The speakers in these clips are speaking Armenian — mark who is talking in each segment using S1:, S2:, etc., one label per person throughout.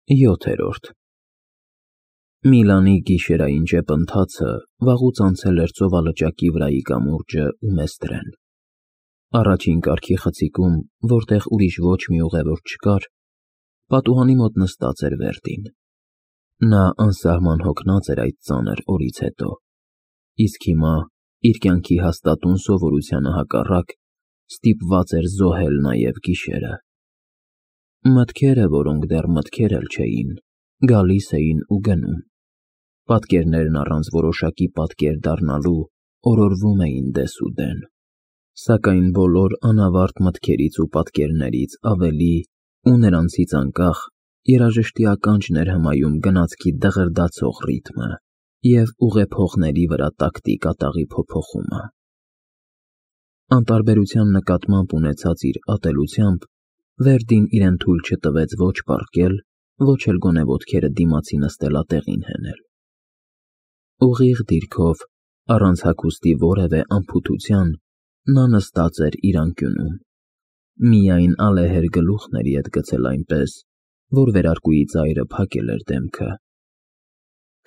S1: 7-րդ Միլանի գիշերային ճեպընթացը վաղուց անցել էր ծովալճակի վրայի կամուրջը ու Մեստրեն։ Առաջին կարգի խցիկում, որտեղ ուրիշ ոչ մի ուղևոր չկար, պատուհանի մոտ նստած էր Վերդին։ Նա անսահման հոգնած էր այդ ծանր օրից հետո, իսկ հիմա, իր կյանքի հաստատուն սովորությանը հակառակ, ստիպված էր զոհել նաև գիշերը։ Մտքերը, որոնք դեռ մտքեր էլ չէին, գալիս էին ու գնում։ Պատկերներն առանց որոշակի պատկեր դառնալու օրորվում էին դեսուդեն։ Սակայն բոլոր անավարտ մտքերից ու պատկերներից ավելի ու նրանցից անկախ երաժշտի ականջն էր հմայում գնացքի դղրդացող ռիթմը և ուղեփողների վրա տակտի կատաղի փոփոխումը։ Անտարբերության նկատմամբ ունեցած իր ատելությամբ Վերդին իրեն թույլ չտվեց ոչ պառկել, ոչ էլ գոնե ոտքերը դիմացի նստելատեղին հենել։ Ուղիղ դիրքով, առանց հագուստի որևէ անփութության, նա նստած էր իր անկյունում։ Միայն ալեհեր գլուխն էր ետ գցել այնպես, որ վերարկուի ծայրը փակել էր դեմքը։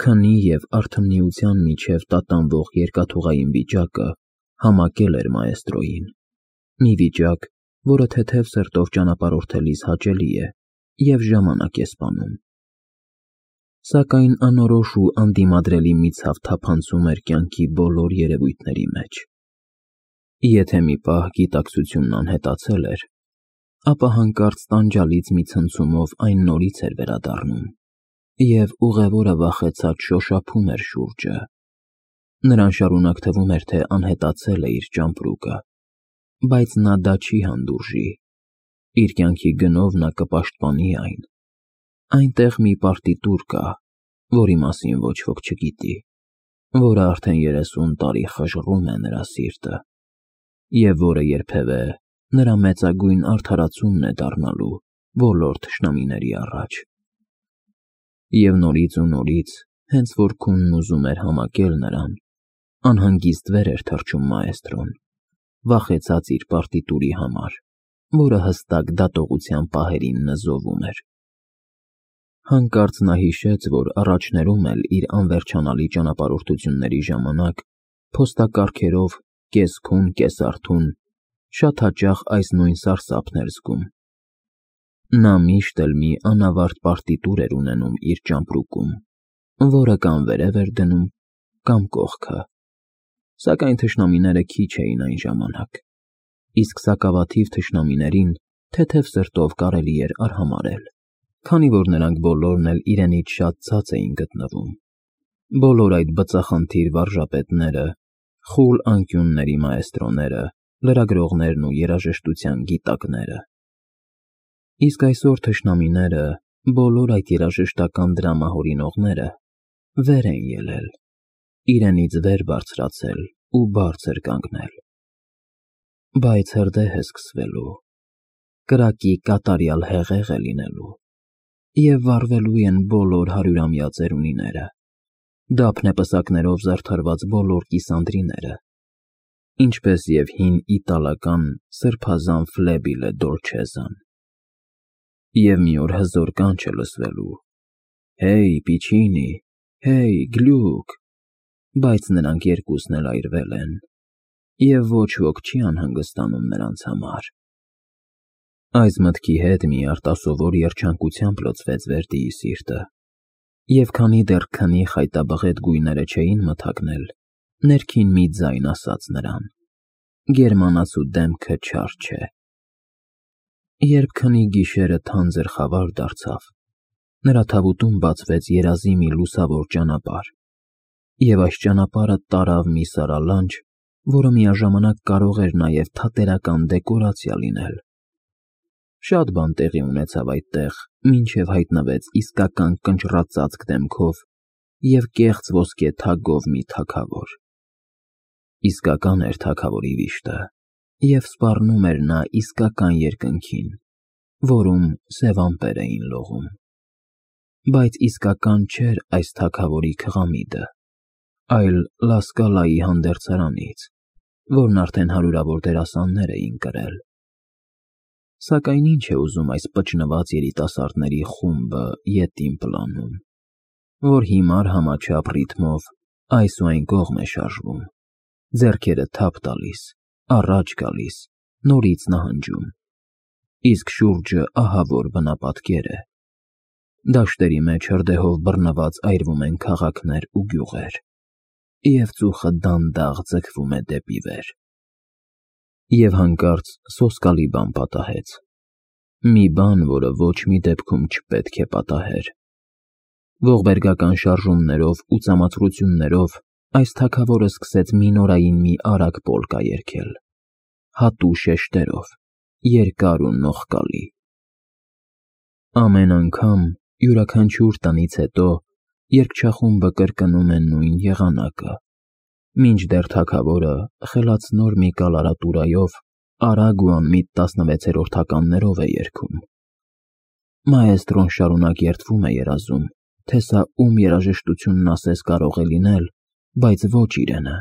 S1: Քնի և արթմնիության միջև տատանվող երկաթուղային վիճակը համակել էր մաեստրոյին, մի վիճակ, որը թեթև սրտով ճանապարհորդելիս հաճելի է և ժամանակ է սպանում։ Սակայն անորոշ ու անդիմադրելի մի ցավ թափանցում էր կյանքի բոլոր երևույթների մեջ։ Եթե մի պահ գիտակցությունն անհետացել էր, ապա հանկարծ տանջալից մի ցնցումով այն նորից էր վերադառնում, և ուղևորը վախեցած շոշափում էր շուրջը։ Նրան շարունակ թվում էր, թե անհետացել է իր ճամպրուկը, բայց նա դա չի հանդուրժի։ Իր կյանքի գնով նա կպաշտպանի այն։ Այնտեղ մի պարտիտուր կա, որի մասին ոչ ոք չգիտի, որը արդեն 30 տարի խժռում է նրա սիրտը, և որը երբևէ նրա մեծագույն արդարացումն է դառնալու բոլոր թշնամիների առաջ։ Եվ նորից ու նորից, հենց որ քունն ուզում էր համակել նրան, անհանգիստ վեր էր թռչում մաեստրոն, վախեցած իր պարտիտուրի համար, որը հստակ դատողության պահերին նզովում էր։ Հանկարծ նա հիշեց, որ առաջներում էլ իր անվերջանալի ճանապարհորդությունների ժամանակ փոստակառքերով կես֊քուն, կես֊արթուն շատ հաճախ այս նույն սարսափն էր զգում։ Նա միշտ էլ մի անավարտ պարտիտուր էր ունենում իր ճամպրուկում, որը կամ վերև էր դնում, կամ կողքը, սակայն թշնամիները քիչ էին այն ժամանակ, իսկ սակավաթիվ թշնամիներին թեթև սրտով կարելի էր արհամարհել, քանի որ նրանք բոլորն էլ իրենից շատ ցած էին գտնվում։ Բոլոր այդ բծախնդիր վարժապետները, խուլ անկյունների մաեստրոները, լրագրողներն ու երաժշտության գիտակները։ Իսկ այսօր թշնամիները, բոլոր այդ երաժշտական դրամահորինողները վեր են ելել, իրենից վեր բարձրացել ու բարձր կանգնել։ Բայց հրդեհ է սկսվելու, կրակի կատարյալ հեղեղ է լինելու, և վառվելու են բոլոր հարյուրամյա ծերունիները, դափնեպսակներով զարդարված բոլոր կիսանդրիները, ինչպես և հին իտալական սրբազան ֆլեբիլե դոլչեզան։ Եվ մի օր հզոր կանչ է լսվելու. «Հեյ, Պիչինի, հեյ, գլյուկ», բայց նրանք երկուսն էլ այրվել են, և ոչ ոք չի անհանգստանում նրանց համար։ Այս մտքի հետ մի արտասովոր երջանկությամբ լցվեց Վերդիի սիրտը, և քանի դեռ քնի խայտաբղետ գույները չէին մթագնել, ներքին մի ձայն ասաց նրան. «Գերմանացու դեմքը չար չէ»։ Երբ քնի գիշերը թանձր խավար դարձավ, նրա թավուտում բացվեց երազի մի լուսավոր ճանապարհ, և այս ճանապարհը տարավ մի սարալանջ, որը միաժամանակ կարող էր նաև թատերական դեկորացիա լինել։ Շատ բան տեղի ունեցավ այդտեղ, մինչև հայտնվեց իսկական կնճռածածկ դեմքով և կեղծ ոսկե թագով մի թագավոր։ Իսկական էր թագավորի վիշտը, և սպառնում էր նա իսկական երկնքին, որում սև ամպեր էին լողում։ Բայց իսկական չէր այս թագավորի քղամիդը, այլ Լա Սկալայի հանդերձարանից, որն արդեն հարյուրավոր դերասաններ էին կրել։ Սակայն ինչ է ուզում այս պճնված երիտասարդների խումբը ետին պլանում, որ հիմար համաչափ ռիթմով այս ու այն կողմ է շարժվում, ձեռքերը թափ տալիս, առաջ գալիս, նորից նահանջում, իսկ շուրջը ահավոր բնապատկեր է։ Դաշտերի մեջ հրդեհով բռնված այրվում են քաղաքներ ու գյուղեր, և ծուխը դանդաղ ձգվում է դեպի վեր։ Եվ հանկարծ սոսկալի բան պատահեց, մի բան, որը ոչ մի դեպքում չպետք է պատահեր։ Ողբերգական շարժումներով ու ծամացրություններով այս թագավորը սկսեց մի նորային մի արագ պոլկա երգել, հատու շեշտերով, երկար ու նողկալի։ Ամեն անգամ, յուրաքանչյուր տնից հետո, երգչախումբը կրկնում է նույն եղանակը, մինչդեռ թագավորը խելացնոր մի կալարատուրայով արագ ու անմիտ 16-րդ ականներով է երգում։ Մաեստրոն շարունակ երդվում է երազում, թե սա ում երաժշտությունն ասես կարող է լինել, բայց ոչ իրենը։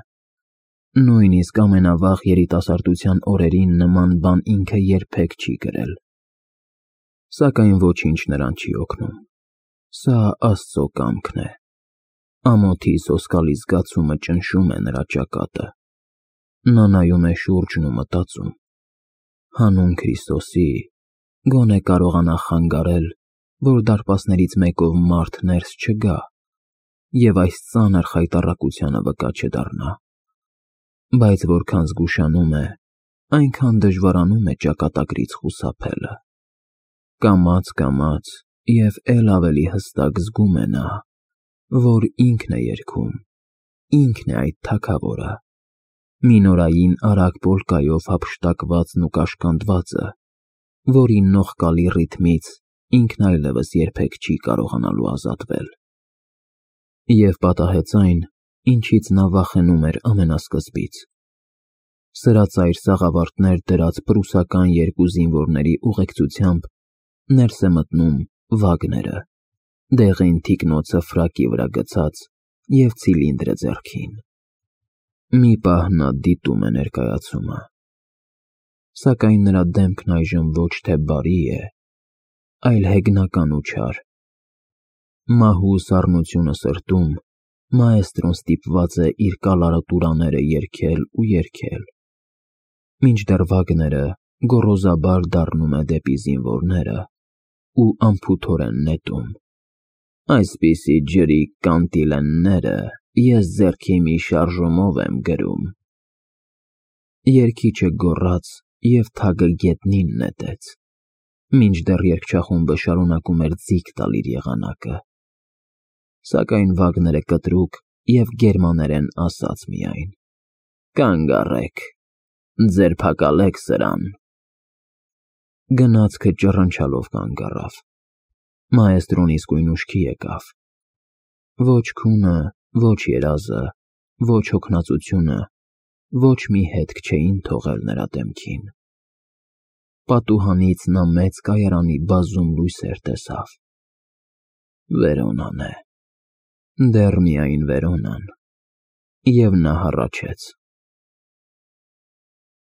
S1: Նույնիսկ ամենավաղ երիտասարդության օրերին նման բան ինքը երբեք չի գրել։ Սակայն ոչինչ նրան չի օգնում։ Սա Աստծո կամքն է։ Ամոթի սոսկալի զգացումը ճնշում է նրա ճակատը։ Նա նայում է շուրջն ու մտածում. հանուն Քրիստոսի, գոնե կարողանա խանգարել, որ դարպասներից մեկով մարդ ներս չգա և այս ծանր խայտառակությանը վկա չդառնա։ Բայց որքան զգուշանում է, այնքան դժվարանում է ճակատագրից խուսափելը։ Կամաց և էլ ավելի հստակ զգում է նա, որ ինքն է երգում, ինքն է այդ թագավորը, մի նորային արագ պոլկայով հափշտակվածն ու կաշկանդվածը, որի նողկալի ռիթմից ինքն այլևս երբեք չի կարողանալու ազատվել։ Եվ պատահեց այն, ինչից նա վախենում էր ամենասկզբից։ Սրածայր սաղավարտներ դրած պրուսական երկու զինվորների ուղեկցությամբ ներս է մտնում Վագները, դեղին թիկնոցը ֆրակի վրա գցած և ցիլինդրը ձեռքին։ Մի պահ նա դիտում է ներկայացումը, սակայն նրա դեմքն այժմ ոչ թե բարի է, այլ հեգնական ու չար։ Մահու սառնությունը սրտում, մաեստրոն ստիպված է իր կալարատուրաները երգել ու երգել, մինչդեռ Վագները գոռոզաբար դառնում է դեպի զինվորները ու անփութորեն նետում. այսպիսի ջրի կանտիլենները ես ձեռքի մի շարժումով եմ գրում։ Երգիչը գոռաց և թագը գետնին նետեց, մինչդեռ երգչախումբը շարունակում էր ձիգ տալ իր եղանակը։ Սակայն Վագները կտրուկ և գերմաներեն ասաց միայն. «Կանգ առեք, ձերբակալեք սրան»։ Գնացքը ճռնչալով կանգ առավ։ Մաեստրոն իսկույն ուշքի եկավ։ Ոչ քունը, ոչ երազը, ոչ հոգնածությունը, ոչ մի հետք չէին թողել նրա դեմքին։ Պատուհանից նա մեծ կայարանի բազում լույսեր տեսավ։ Վերոնան է, դեռ միայն Վերոնան։ Եվ նա հառաչեց.